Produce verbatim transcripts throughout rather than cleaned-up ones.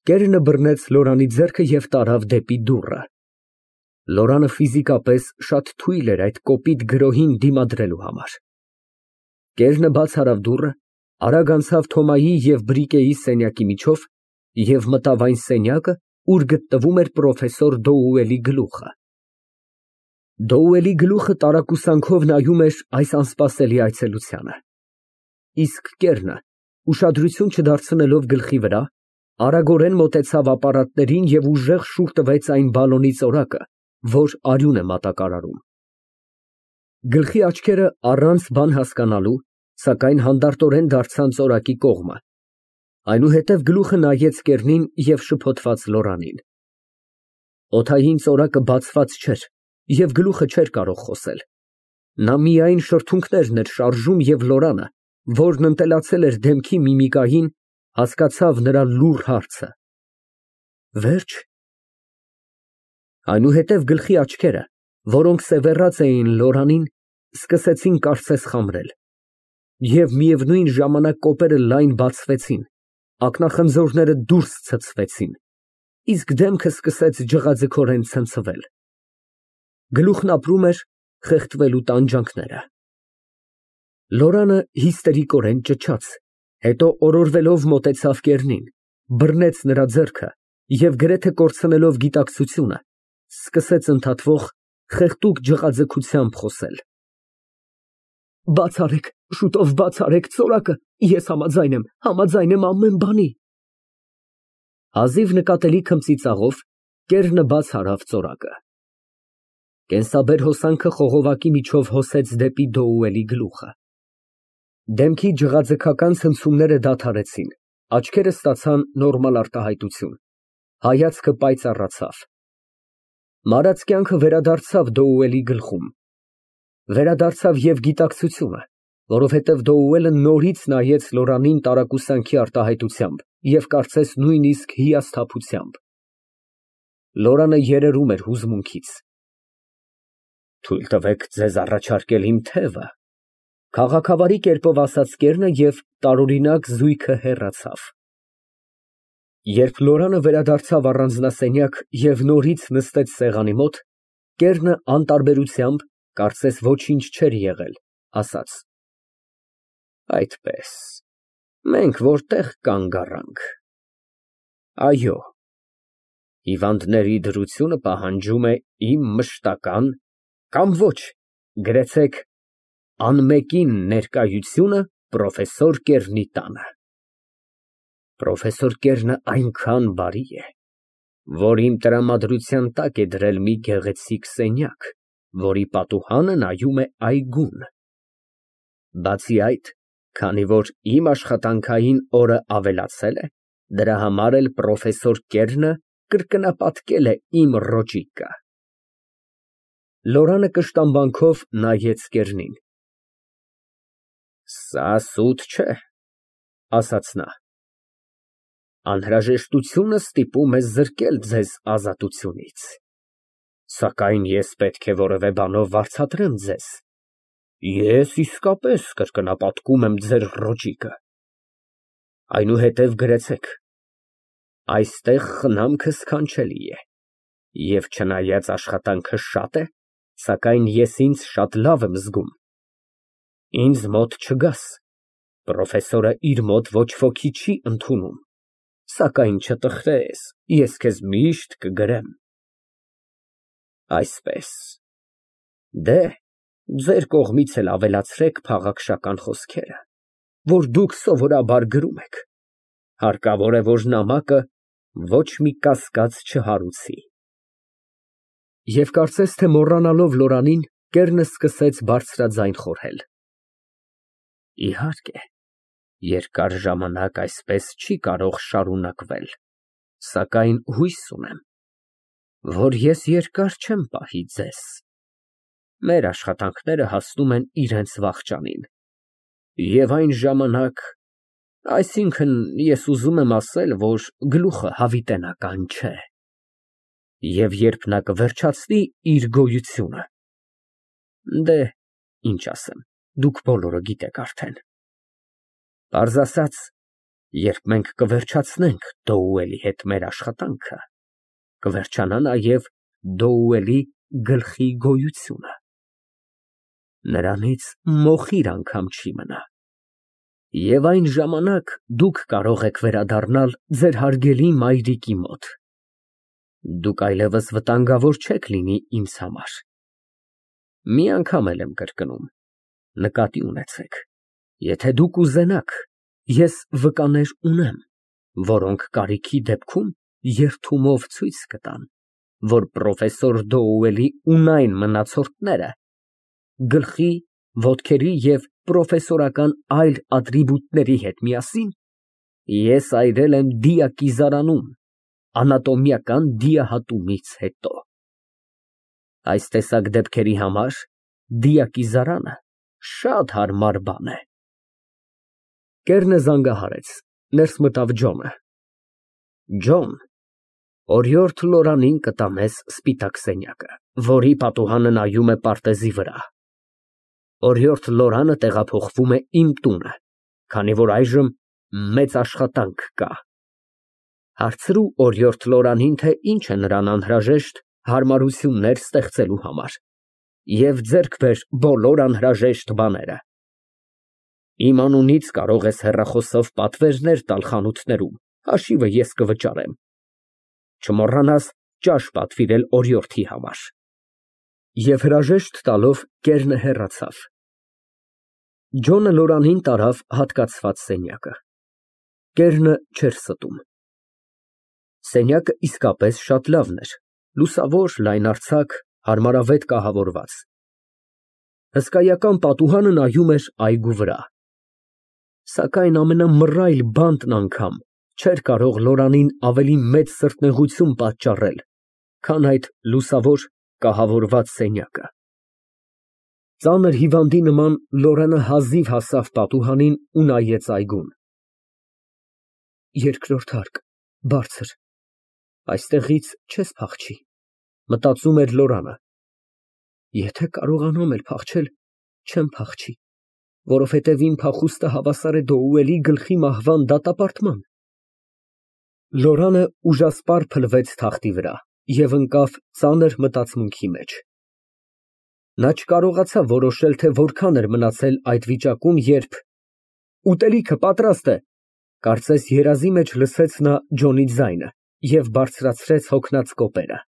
Կերնը բռնեց Լորանի ձեռքը և տարավ դեպի դուռը։ Լորանը ֆիզիկապես շատ թույլ էր այդ կոպիտ գրոհին դիմադրելու համար։ Կերնը բաց արավ դուռը, արագ անցավ Թոմայի և Բրիկեի սենյակի միջով և մտավ այն սենյակը, ուր գտնվում էր պրոֆեսոր Դոուելի գլուխը։ Դոուելի գլուխը տարակուսանքով նայում էր այս անսպասելի այցելությանը, իսկ կերնը, ուշադրություն չդարձնելով գլխի վրա, արագորեն մոտեցավ ապարատներին և ուժեղ շուռ տվեց այն բալոնի ծորակը, որ արյուն է մատակարարում։ Գլխի աչքերը առանց բան հասկանալու, սակայն հանդարտորեն դարձան ծորակի կողմը, այնուհետև գլուխը նայեց կերնին և շփոթված Լորանին։ Օդային ծորակը բացված չէր և գլուխը չէր կարող խոսել, նա միայն շրթունքներն էր շարժում և Լորանը, որն ընտելացել էր դեմքի միմիկային, հասկացավ նրա լուռ հարցը. Վե՞րջ։ Այնուհետև գլխի աչքերը, որոնք սևեռած էին Լորանին, սկսեցին կարծես խամրել, և միևնույն ժամանակ կոպերը լայն բացվեցին, ակնախնձորները դուրս ցցվեցին, իսկ դեմքը սկսեց ջղաձգորեն ցնցվել։ Գլուխն ապրում էր խեղդվելու տանջանքները։ Լորանը հիստերիկորեն ճչաց, հետո օրորվելով մոտեցավ կերնին, բռնեց նրա ձեռքը և գրեթե կորցնելով գիտակցությունը, սկսեց ընդհատվող, խեղդուկ ջղաձգությամբ խոսել. Բաց արեք, շուտով բաց արեք ծորակը, ես համաձայն եմ, համաձայն եմ ամեն բանի։ Հազիվ նկատելի քմծիծաղով կերնը բաց արավ ծորակը։ Կենսաբեր հոսանքը խողովակի միջով հոսեց դեպի Դոուելի գլուխը։ Դեմքի ջղաձգական ցնցումները դադարեցին, աչքերը ստացան նորմալ արտահայտություն, հայացքը պայծառացավ։ Մարած կյանքը վերադարձավ Դոուելի գլխում, վերադարձավ և գիտակցությունը, որովհետև Դոուելը նորից նայեց Լորանին տարակուսանքի արտահայտությամբ և կարծես նույնիսկ հիասթափությամբ։ Լորանը երերում էր հուզմունքից։ Թույլ տվեք ձեզ առաջարկել իմ թևը, քաղաքավարի կերպով ասաց կերնը և տարօրինակ զույգը հեռացավ։ Երբ Լորանը վերադարձավ առանձնասենյակ և նորից նստեց սեղանի մոտ, կերնը անտարբերությամբ, կարծես ոչինչ չէր եղել, ասաց. Այդպես, մենք որտեղ կանգ առանք։ Այո, հիվանդների դրությունը պահանջում է իմ մշտական կամ ոչ, գրեցեք անմեկին ներկայությունը պրոֆեսոր Կերնի տանը։ Պրոֆեսոր Կերնը այնքան բարի է, որ իմ տրամադրության տակ է դրել մի գեղեցիկ սենյակ, որի պատուհանը նայում է այգուն։ Բացի այդ, քանի որ իմ աշխատանքային օրը ավելացել է, դրա համար էլ պրոֆեսոր Կերնը կրկնապատկել է իմ ռոճիկը։ Լորանը կշտամբանքով նայեց կերնին։ Սա սուտ չէ, ասաց նա։ Անհրաժեշտությունը ստիպում է զրկել ձեզ ազատությունից, սակայն ես պետք է որևէ բանով վարձատրեմ ձեզ։ Ես իսկապես կրկնապատկում եմ ձեր ռոճիկը։ Այնուհետև գրեցեք. այստեղ խնամքը սքանչելի է, և չնայած աշխատանքը շատ է, սակայն ես ինձ շատ լավ եմ զգում։ Ինձ մոտ չգաս, պրոֆեսորը իր մոտ ոչ ոքի չի ընդունում, սակայն չտխրես, ես քեզ միշտ կգրեմ։ Այսպես, դե, ձեր կողմից էլ ավելացրեք փաղաքշական խոսքերը, որ դուք սովորաբար գրում եք, հարկավոր է, որ նամակը ոչ մի կասկած չհարուցի։ Եվ կարծես թե մոռանալով Լորանին, կերնը սկսեց բարձրաձայն խորհել. Իհարկե, երկար ժամանակ այսպես չի կարող շարունակվել, սակայն հույս ունեմ, որ ես երկար չեմ պահի ձեզ։ Մեր աշխատանքները հասնում են իրենց վախճանին, և այն ժամանակ, այսինքն, ես ուզում եմ ասել, որ գլուխը հավիտենական չէ, և երբ նա կվերջացնի իր գոյությունը, դե, ինչ ասեմ, դուք բոլորը գիտեք արդեն։ Պարզ ասած, Երբ մենք կվերջացնենք Դոուելի հետ մեր աշխատանքը, կվերջանա նաև Դոուելի գլխի գոյությունը. նրանից մոխիր անգամ չի մնա, և այն ժամանակ դուք կարող եք վերադառնալ ձեր հարգելի մայրիկի մոտ, դուք այլևս վտանգավոր չեք լինի ինձ համար, մի անգամ եմ կրկնում, նկատի ունեցեք, եթե դուք ուզենաք, ես վկաներ ունեմ, որոնք կարիքի դեպքում երդումով ցույց կտան, որ պրոֆեսոր Դոուելի ունայն մնացորդները գլխի, ոտքերի և պրոֆեսորական այլ ատրիբուտների հետ միասին ես այրել եմ դիակիզարանում անատոմիական դիահատումից հետո։ Այս տեսակ դեպքերի համար դիակիզարանը շատ հարմար բան է։ Կեռնը զանգահարեց, ներս մտավ Ջոնը։ Ջոն, օրիորդ Լորանին կտա մեզ սպիտակ սենյակը, որի պատուհանը նայում է պարտեզի վրա։ Օրիորդ Լորանը տեղափոխվում է իմ տունը, քանի որ այժմ մեծ աշխատանք կա։ Հարցրու օրիորդ Լորանին, թե ինչ է նրան անհրաժեշտ հարմարություններ ստեղծելու համար, և ձեռք բեր բոլոր անհրաժեշտ բաները։ Իմ անունից կարող ես հեռախոսով պատվերներ տալ խանութներում, հաշիվը ես կվճարեմ։ Չմոռանաս ճաշ պատվիրել օրիորդի համար։ Եվ հրաժեշտ տալով կեռնը հեռացավ։ Ջոնը Լորանին տարավ հատկացված սենյակը։ Կեռնը չէր ստում։ Սենյակը իսկապես շատ լավն էր, լուսավոր, լայնարձակ, հարմարավետ կահավորված։ Հսկայական պատուհանը նայում էր այգու վրա։ Սակայն ամենամռայլ բանտն անգամ չէր կարող Լորանին ավելի մեծ սրտնեղություն պատճառել, քան այդ լուսավոր կահավորված սենյակը։ Ծանր հիվանդի նման Լորանը հազիվ հասավ պատուհանին ու նայեց այգուն։ Երկրորդ հարկ, բարձր, այստեղից չես փախչի, մտածում էր Լորանը։ Եթե կարողանամ էլ փախչել, չեմ փախչի, որովհետև իմ փախուստը հավասար է Դոուելի գլխի մահվան դատապարտման։ Լորանը ուժասպառ փլվեց թախտի վրա և ընկավ ծանր մտածմունքի մեջ։ Նա չկարողացավ որոշել, թե որքան էր մնացել այդ վիճակում, երբ «Ուտելիքը պատրաստ է», կարծես երազի մեջ լսեց նա Ջոնի ձայնը և բարձրացրեց հոգնած կոպերը։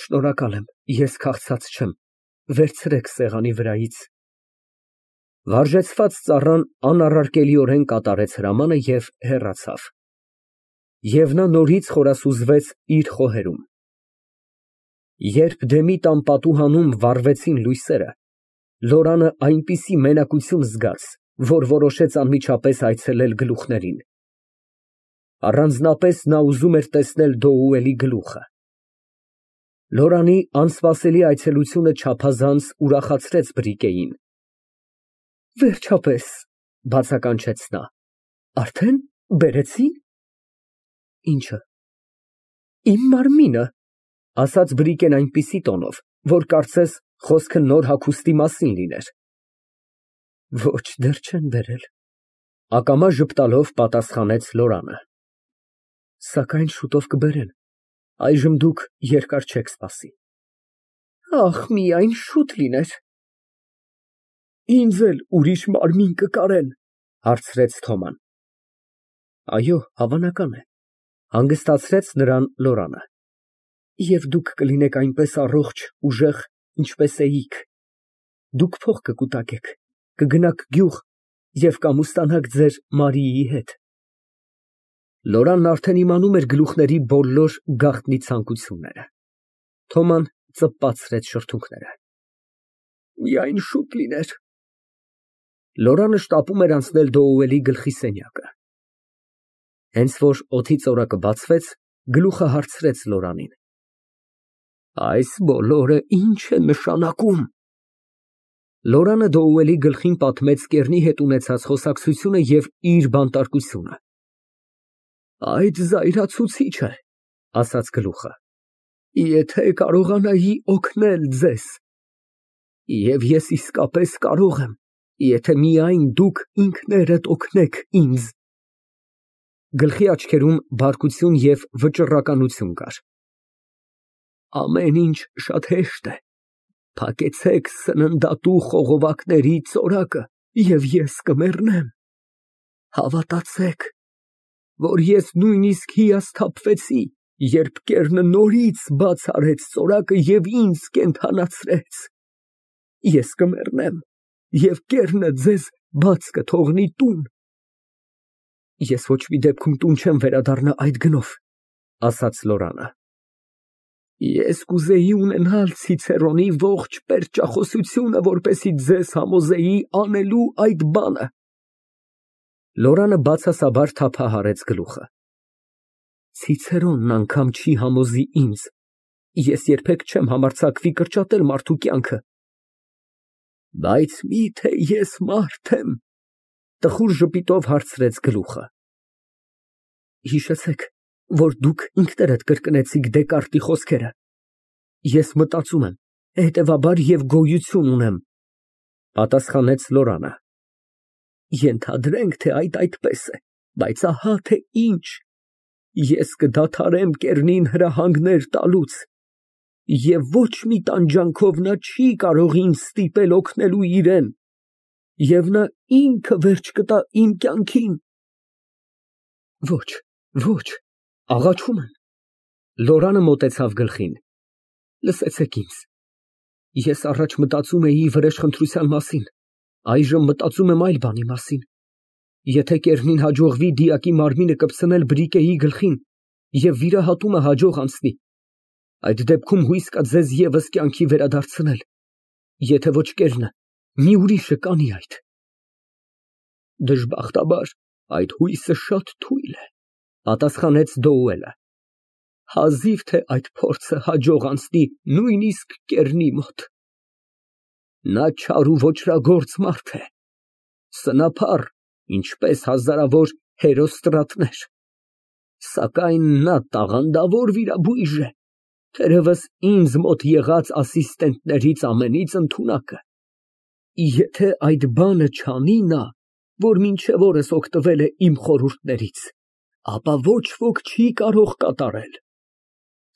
Շնորհակալ եմ, ես քաղցած չեմ, վերցրեք սեղանի վրայից։ Վարժեցված ծառան անառարկելիորեն կատարեց հրամանը և հեռացավ։ Եվ նա նորից խորասուզվեց իր խոհերում։ Երբ դեմի տան պատուհանում վառվեցին լույսերը, Լորանը այնպիսի մենակություն զգաց, որ որոշեց անմիջապես այցելել գլուխներին։ Առանձնապես նա ուզում էր տեսնել Դոուելի գլուխը։ Լորանի անսպասելի այցելությունը չափազանց ուրախացրեց Բրիկեին։ Վերջապես, բացականչեց նա, արդեն բերեցի՞ն։ Ի՞նչը։ Իմ մարմինը, ասաց Բրիկեն այնպիսի տոնով, որ կարծես խոսքը նոր հագուստի մասին լիներ։ Ոչ, դեռ չեն բերել, ակամա ժպտալով պատասխանեց Լորանը։ Սակայն շուտով կբերեն, այժմ դուք երկար չեք սպասի։ Ախ, միայն շուտ լիներ։ Ինձ էլ ուրիշ մարմին կկարեն, հարցրեց Թոման։ Այո, հավանական է, հանգստացրեց նրան Լորանը։ Եվ դուք կլինեք այնպես առողջ, ուժեղ, ինչպես էիք։ Դուք փող կկուտակեք, կգնաք գյուղ և կամուստանաք ձեր Մարիի հետ։ Լորանն արդեն իմանում էր գլուխների բոլոր գաղտնի ցանկությունները։ Թոման ծպպացրեց շրթունքները։ Միայն շուտ լիներ։ Լորանը շտապում էր անցնել Դոուելի գլխի սենյակը։ Հենց որ օդի ծորակը բացվեց, գլուխը հարցրեց Լորանին. Այս բոլորը ի՞նչ է նշանակում։ Լորանը Դոուելի գլխին պատմեց կեռնի հետ ունեցած խոսակցությունը և իր բանտարկությունը։ Այդ զայրացուցիչ է, ասաց գլուխը, եթե կարողանայի օգնել ձեզ։ Եվ ես իսկապես կարող եմ, եթե միայն դուք ինքներդ օգնեք ինձ։ Գլխի աչքերում բարկություն և վճռականություն կար։ Ամեն ինչ շատ հեշտ է, փակեցեք սննդատու խողովակների ծորակը և ես կմեռնեմ, հավատացեք, որ ես նույնիսկ հիասթափվեցի, երբ կեռը նորից բաց արեց ծորակը և ինձ կենդանացրեց, ես կմեռնեմ և կեռը ձեզ բաց կթողնի տուն։ Ես ոչ մի դեպքում տուն չեմ վերադառնա այդ գնով, ասաց Լորանը։ Ես կուզեի ունենալ Ցիցերոնի ողջ պերճախոսությունը, որպեսզի ձեզ համոզեի անելու այդ բանը։ Լորանը բացասաբար թափահարեց գլուխը։ Ցիցերոնն անգամ չի համոզի ինձ, ես երբեք չեմ համարձակվի կրճատել մարդու կյանքը։ Բայց մի՞թե ես մարդ եմ, տխուր ժպիտով հարցրեց գլուխը։ Հիշեցեք, որ դուք ինքներդ կրկնեցիք Դեկարտի խոսքերը։ Ես մտածում եմ, հետևաբար և գոյություն ունեմ, պատասխանեց Լորանը։ Ենթադրենք, թե այդ այդպես է, բայց ահա թե ինչ, ես կդադարեմ կեռնին հրահանգներ տալուց, և ոչ մի տանջանքով նա չի կարող ինձ ստիպել օգնելու իրան, և նա ինքը վերջ կտա իմ կյանքին։ Ոչ, ոչ, աղաչում եմ։ Լորանը մոտեցավ գլխին։ Լսեցեք ինձ, ես առաջ մտածում էի վրեժխնդրության մասին, այժմ մտածում եմ այլ բանի մասին։ Եթե կեռնին հաջողվի դիակի մարմինը կպցնել բրիկեի գլխին և վիրահատումը հաջող անցնի, այդ դեպքում հույս կա ձեզ ևս կյանքի վերադարձնել, եթե ոչ կեռնը, մի ուրիշը կանի այդ։ Դժբախտաբար, այդ հույսը շատ թույլ է, պատասխանեց Դոուելը։ Հազիվ թե այդ փորձը հաջող անցնի նույնիսկ կեռնի մոտ։ Նա չար ու ոճրագործ մարդ է, սնափառ, ինչպես հազարավոր հերոստրատներ, սակայն նա տաղանդավոր վիրաբույժ է, թերևս ինձ մոտ եղած ասիստենտներից ամենից ընդունակը։ Եթե այդ բանը չանի նա, որ մինչև օրս օգտվել է իմ խորհուրդներից, ապա ոչ ոք չի կարող կատարել,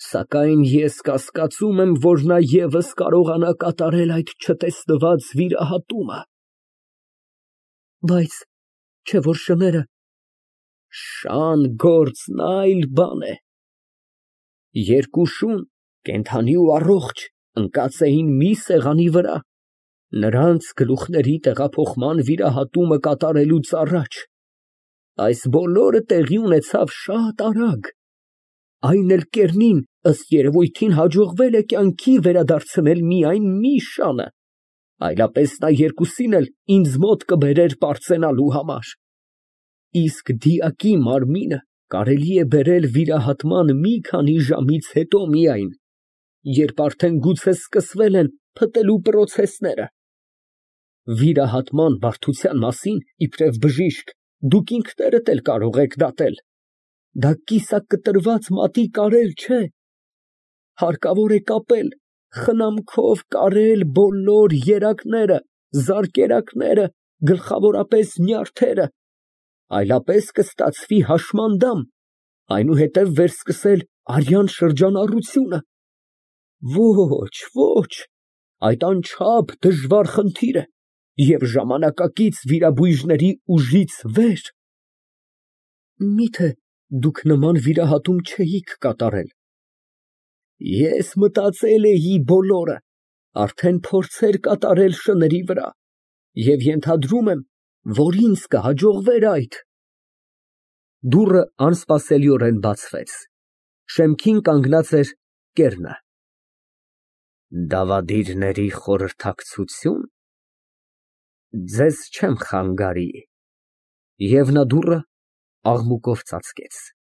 սակայն ես կասկածում եմ, որ նա ևս կարողանա կատարել այդ չտեսնված վիրահատումը։ Բայց չէ՞ որ շները… Շան գործն այլ բան է։ Երկու շուն, կենդանի ու առողջ, ընկած էին մի սեղանի վրա, նրանց գլուխների տեղափոխման վիրահատումը կատարելուց առաջ։ Այս բոլորը տեղի ունեցավ շատ արագ, այն էլ կեռնին, ըստ երևույթին, հաջողվել է կյանքի վերադարձնել միայն մի շանը, այլապես նա երկուսին էլ ինձ մոտ կբերեր պարծենալու համար, իսկ դիակի մարմինը կարելի է բերել վիրահատման մի քանի ժամից հետո միայն, երբ արդեն գուցե սկսվել են փտելու պրոցեսները։ Վիրահատման բարդության մասին, իբրև բժիշկ, դուք ինքներդ էլ կարող եք դատել, դա կիսակտրված մատի կարել չէ, հարկավոր է կապել, խնամքով կարել բոլոր երակները, զարկերակները, գլխավորապես նյարդերը, այլապես կստացվի հաշմանդամ, այնուհետև վերսկսել արյան շրջանառությունը։ Ոչ, ոչ, այդ անչափ դժվար խնդիր է և ժամանակակից վիրաբույժների ուժից վեր։ Միթե դուք նման վիրահատում չէիք կատարել։ Ես մտածել էի բոլորը, արդեն փորձեր կատարել շների վրա և ենթադրում եմ, որ ինձ կհաջողվեր այդ։ Դուռը անսպասելիորեն բացվեց, շեմքին կանգնած էր կեռնը։ Դավադիրների խորհրդակցությո՞ւն, ձեզ չեմ խանգարի։ Եվ նա դուռը աղմուկով ծածկեց։